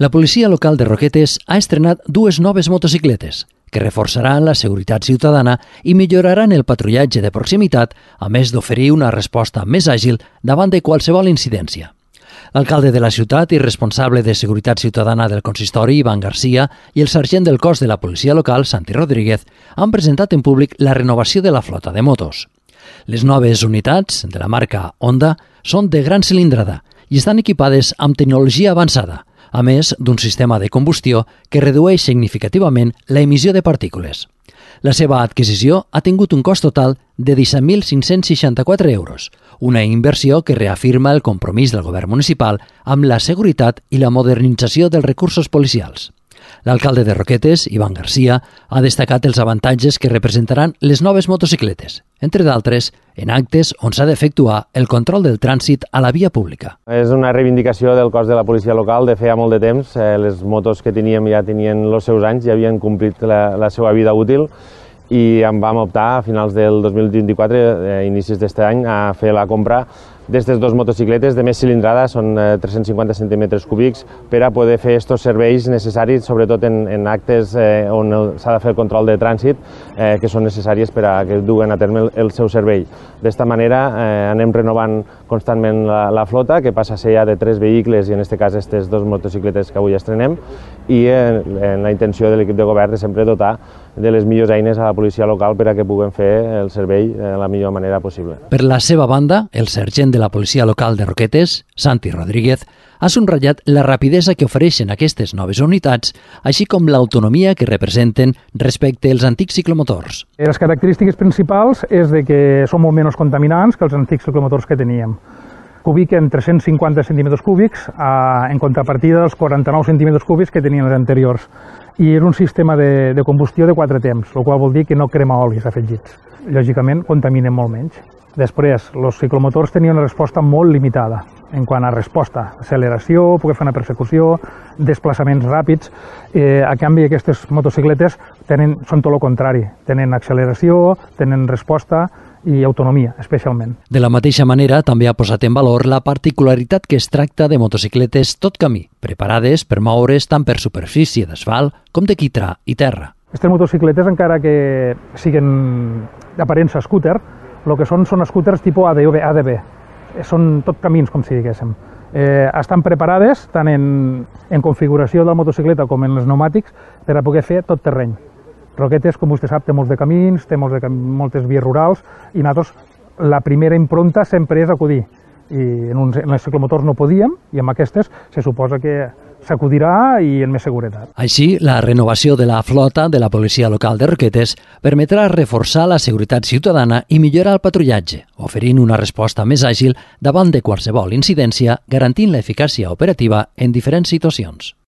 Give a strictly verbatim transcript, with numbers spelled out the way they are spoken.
La policia local de Roquetes ha estrenat dues noves motocicletes que reforçaran la seguretat ciutadana i milloraran el patrullatge de proximitat, a més d'oferir una resposta més àgil davant de qualsevol incidència. L'alcalde de la ciutat i responsable de Seguretat Ciutadana del consistori, Ivan Garcia, i el sergent del cos de la policia local, Santi Rodríguez, han presentat en públic la renovació de la flota de motos. Les noves unitats, de la marca Honda, són de gran cilindrada i estan equipades amb tecnologia avançada, a més d'un sistema de combustió que redueix significativament la emissió de partícules. La seva adquisició ha tingut un cost total de disset mil cinc-cents seixanta-quatre euros, una inversió que reafirma el compromís del govern municipal amb la seguretat i la modernització dels recursos policials. L'alcalde de Roquetes, Ivan Garcia, ha destacat els avantatges que representaran les noves motocicletes, entre d'altres, en actes on s'ha d'efectuar el control del trànsit a la via pública. És una reivindicació del cos de la policia local de feia molt de temps. Les motos que teníem ja tenien els seus anys, ja havien complit la, la seva vida útil i en vam optar a finals del dos mil vint-i-quatre, a inicis d'aquest any, a fer la compra d'aquestes dues motocicletes de més cilindrada, són tres-cents cinquanta centímetres cúbics, per a poder fer aquests serveis necessaris, sobretot en, en actes eh, on s'ha de fer el control de trànsit, eh, que són necessàries per a que duguen a terme el, el seu servei. D'esta manera eh, anem renovant constantment la, la flota, que passa a ser ja de tres vehicles, i en aquest cas aquestes dues motocicletes que avui estrenem, i en, en la intenció de l'equip de govern de sempre dotar de les millors eines a la policia local per a que puguem fer el servei de la millor manera possible. Per la seva banda, el sergent de la policia local de Roquetes, Santi Rodríguez, ha subratllat la rapidesa que ofereixen aquestes noves unitats, així com l'autonomia que representen respecte als antics ciclomotors. Les característiques principals és de que són molt menys contaminants que els antics ciclomotors que teníem. Cubiquen tres-cents cinquanta centímetres cúbics en contrapartida dels quaranta-nou centímetres cúbics que tenien els anteriors. I és un sistema de, de combustió de quatre temps, el qual vol dir que no crema olis afegits. Lògicament, contaminen molt menys. Després, els ciclomotors tenien una resposta molt limitada en quant a resposta, acceleració, poder fer una persecució, desplaçaments ràpids. Eh, a canvi, aquestes motocicletes tenen, són tot el contrari. Tenen acceleració, tenen resposta i autonomia, especialment. De la mateixa manera, també ha posat en valor la particularitat que es tracta de motocicletes tot camí, preparades per moure's tant per superfície d'asfalt com de quitrà i terra. Aquestes motocicletes, encara que siguin d'aparença scooter, el que són són scooters tipus A D B, són tot camins, com si diguéssim. Eh, estan preparades tant en, en configuració de la motocicleta com en els pneumàtics per a poder fer tot terreny. Roquetes, com vostè sap, té molts de camins, té molts de, moltes vies rurals, i nosaltres la primera impronta sempre és acudir. I en, uns, en els ciclomotors no podíem, i amb aquestes se suposa que s'acudirà i en més seguretat. Així, la renovació de la flota de la policia local de Roquetes permetrà reforçar la seguretat ciutadana i millorar el patrullatge, oferint una resposta més àgil davant de qualsevol incidència, garantint l'eficàcia operativa en diferents situacions.